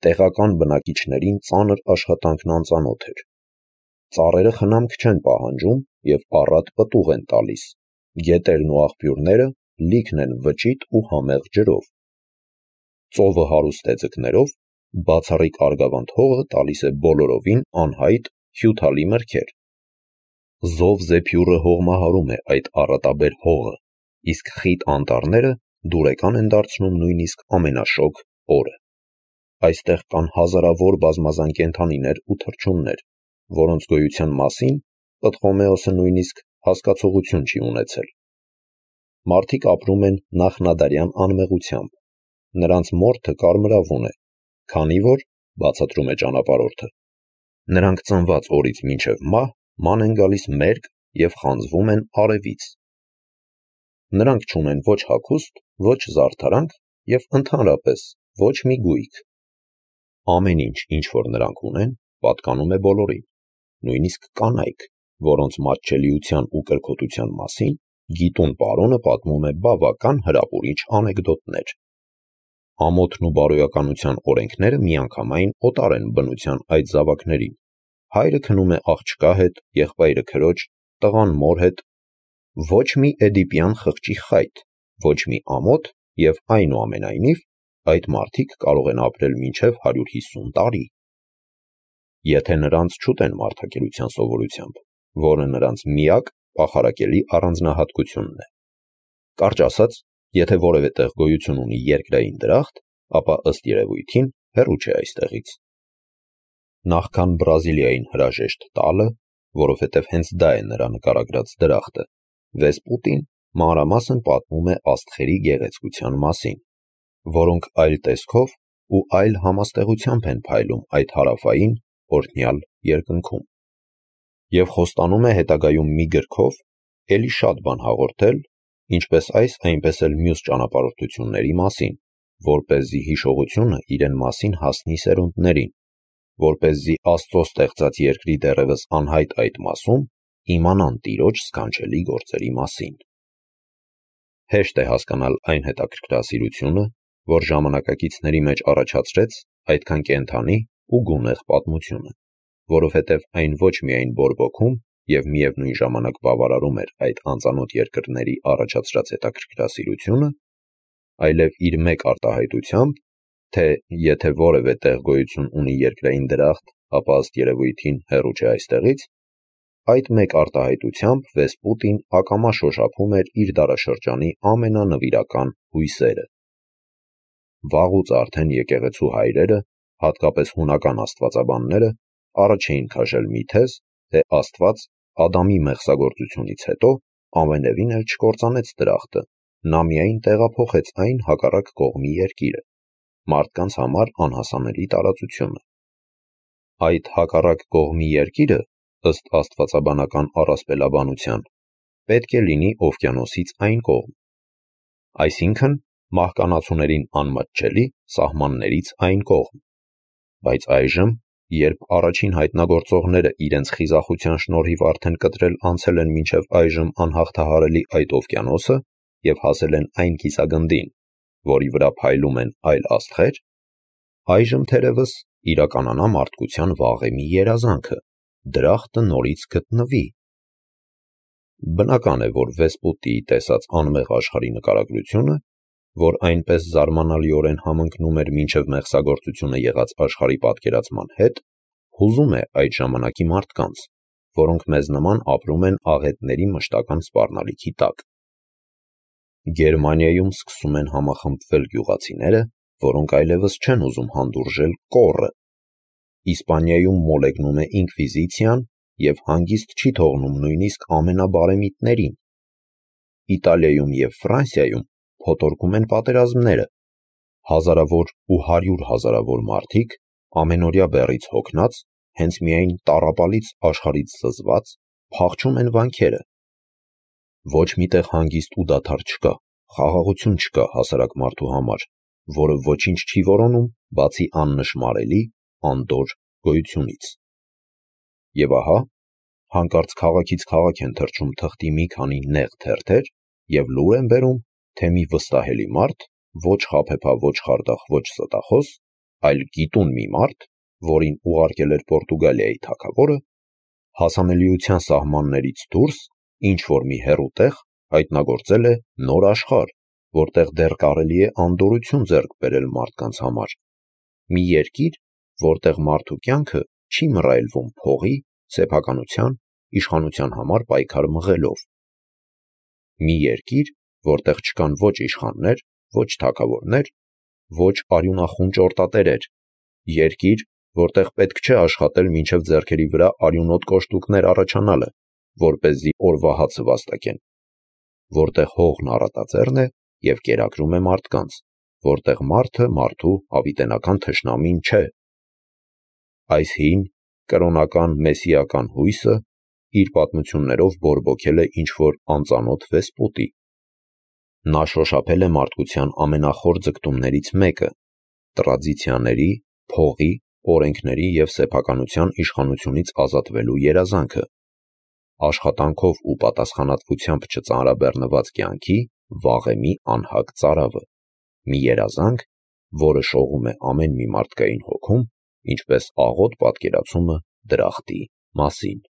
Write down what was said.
տեղական բնակիչներին ծանր աշխատանքն անծանոթ էր։ Ծառերը խնամք չեն պահանջում և առատ պտուղ են տալիս, գետերն ու աղբյուրները լիքն են վճիտ ու համեղ ջրով։ Ծովը հարուստ է ձկներով, բացառիկ Արգավանդ հողը տալիս է բոլորովին անհայտ հյութալի մրգեր։ Զով զեփյուռը հողմահարում է այդ առատաբեր հողը, իսկ խիտ անտառները դուրեկան են դարձնում նույնիսկ ամենաշոգ օրը։ Այստեղ կան հազարավոր բազմազան կենդանիներ ու թռչուններ, որոնց գոյության մասին Պտղոմեոսը նույնիսկ հասկացողություն չի ունեցել։ Մարդիկ ապրում են նախնադարյան անմեղությամբ, նրանց մորթը կարմրավուն է, քանի որ, բացատրում է ճանապարհորդը, նրանք ծնված օրից մինչև մահ ման են գալիս մերկ և խանձվում են արևից։ Նրանք չունեն ոչ հագուստ, ոչ զարդարանք և ընդհանրապես ոչ մի գույք։ Ամեն ինչ, ինչ որ նրանք ունեն, պատկանում է բոլորին, նույնիսկ կանայք, որոնց մատչելիության ու կրքոտության մասին գիտուն պարոնը պատմում է բավական հրապուրիչ անեկդոտներ։ Ամոթն ու բարոյականության օրենքները միանգամայն օտար են բնության այդ զավակներին։ Հայրը քնում է աղջկա հետ, եղբայրը քրոջ, տղան մոր հետ։ Ոչ մի էդիպյան խղճի խայտ, ոչ մի ամոթ և այնուամենայնիվ այդ մարդիկ կարող են ապրել մինչև 150 տարի։ Եթե նրանց չուտեն մարդակերության սովորությամբ, որը նրանց միակ պախարակելի առանձնահատկությունն է։ Կարճ ասած, եթե որևէ տեղ գոյություն ունի երկրային դրախտ, ապա ըստ երևույթին հեռու չէ այստեղից։ Նախքան Բրազիլիային հրաժեշտ տալը, որովհետև հենց դա է նրա նկարագրած դրախտը, Վեսպուտին մանրամասն պատմում է աստղերի գեղեցկության մասին, որոնք այլ տեսքով ու այլ համաստեղությամբ են փայլում այդ հարավային, օրհնյալ երկնքում։ Եվ խոստանում է հետագայում մի գրքով էլի շատ բան հաղորդել, ինչպես այս, այնպես էլ մյուս ճանապարհորդությունների մասին, որպեսզի հիշողությունը իրեն մասին հասնի սերունդներին, որպեսզի Աստծո ստեղծած երկրի դեռևս անհայտ այդ մասում իմանան Տիրոջ սքանչելի գործերի մասին։ Հեշտ է հասկանալ այն հետաքրքրասիրությունը, որ ժամանակակիցների մեջ առաջացրեց այդքան կենդանի ու գունեղ պատմությունը, որովհետև այն ոչ միայն բորբոքում և միևնույն ժամանակ բավարարում էր այդ անծանոթ երկրների առաջացրած հետաքրքրասիրությունը, այլև իր մեկ արտահայտությամբ, թե եթե որևէ տեղ գոյություն ունի երկրային դրախտ, ապա ըստ երևույթին հեռու չէ այստեղից, այդ մեկ արտահայտությամբ Վեսպուտին ակամա շոշափում էր իր դարաշրջանի ամենանվիրական հույսերը։ Վաղուց արդեն եկեղեցու հայրերը, հատկապես հունական աստվածաբանները, առաջ էին քաշել մի թեզ, թե Աստված Ադամի մեղսագործությունից հետո ամենևին էլ չկործանեց դրախտը, նա միայն տեղափոխեց այն հակառակ կողմի երկիրը, մարդկանց համար անհասանելի տարածությունը։ Այդ հակառակ կողմի երկիրը, ըստ աստվածաբանական առասպելաբանության, պետք է լինի օվկիանոսից այն կողմ, այսինքն մահկանացուներին անմատչելի սահմաններից այն կողմ։ Բայց այժմ, երբ առաջին հայտնագործողները իրենց խիզախության շնորհիվ արդեն կտրել անցել են մինչև այժմ անհաղթահարելի այդ օվկիանոսը և հասել են այն կիսագնդին, որի վրա փայլում են այլ աստղեր, այժմ թերևս իրականանա մարդկության վաղեմի երազանքը՝ դրախտը նորից գտնվի։ Բնական է, որ Վեսպուտիի տեսած անմեղ աշխարհի նկարագրությունը, որ այնպես զարմանալիորեն համընկնում էր մինչև մեղսագործությունը եղած աշխարհի պատկերացման հետ, հուզում է այդ ժամանակի մարդկանց, որոնք մեզ նման ապրում են աղետների մշտական սպառնալիքի տակ։ Գերմանիայում սկսում են համախմբվել գյուղացիները, որոնք այլևս չեն ուզում հանդուրժել կոռը։ Իսպանիայում մոլեգնում է ինկվիզիցիան և հանգիստ չի թողնում նույնիսկ ամենաբարեմիտներին։ Իտալիայում և Ֆրանսիայում փոթորկում են պատերազմները։ Հազարավոր ու 100 հազարավոր մարդիկ, ամենօրյա բեռից հոգնած, հենց միայն տառապալից աշխարհից զզված, փախչում են վանքերը։ Ոչ միտեղ հանգիստ ու դադար չկա, խաղաղություն չկա հասարակ մարդու համար, որը ոչինչ չի որոնում, բացի աննշմարելի, անդորր գոյությունից։ Եվ ահա, հանկարծ քաղաքից քաղաք են թռչում թղթի մի քանի նեղ թերթեր և լուր են բերում, թե մի վստահելի մարդ, ոչ խաբեբա, ոչ խարդախ, ոչ ստախոս, այլ գիտուն մի մարդ, որին ուղարկել էր Պորտուգալիայի թագավորը, հասանելիության սահմաններից դուրս ինչ-որ մի հեռու տեղ հայտնագործել է նոր աշխարհ, որտեղ դեռ կարելի է անդորրություն ձեռք բերել մարդկանց համար, մի երկիր, որտեղ մարդու կյանքը չի մռայլվում փողի, սեփականության, իշխանության համար պայքար մղելով, մի երկիր, որտեղ չկան ոչ իշխաններ, ոչ թագավորներ, ոչ արյունախուն ճորտատերեր, երկիր, որտեղ պետք չէ աշխատել մինչև ձեռքերի վրա արյունոտ կոշտուկներ առաջանալը, որպեսզի օրվա հացը վաստակեն, որտեղ հողն առատաձեռն է և կերակրում է մարդկանց, որտեղ մարդը մարդու հավիտենական թշնամին չէ։ Այս հին, կրոնական մեսիական հույսը իր պատմություններով բորբոքել է ինչ-որ անծանոթ վեսպոտի։ Նա շոշափել է մարդկության ամենախոր ձգտումներից մեկը՝ տրադիցիաների, փողի, օրենքների և սեփականության իշխանությունից ազատվելու երազանքը, աշխատանքով ու պատասխանատվությամբ չծանրաբեռնված կյանքի վաղեմի անհագ ծարավը, մի երազանք, որը շողում է ամեն մի մարդկային հոգում, ինչպես աղոտ պատկերացումը դրախտի մասին։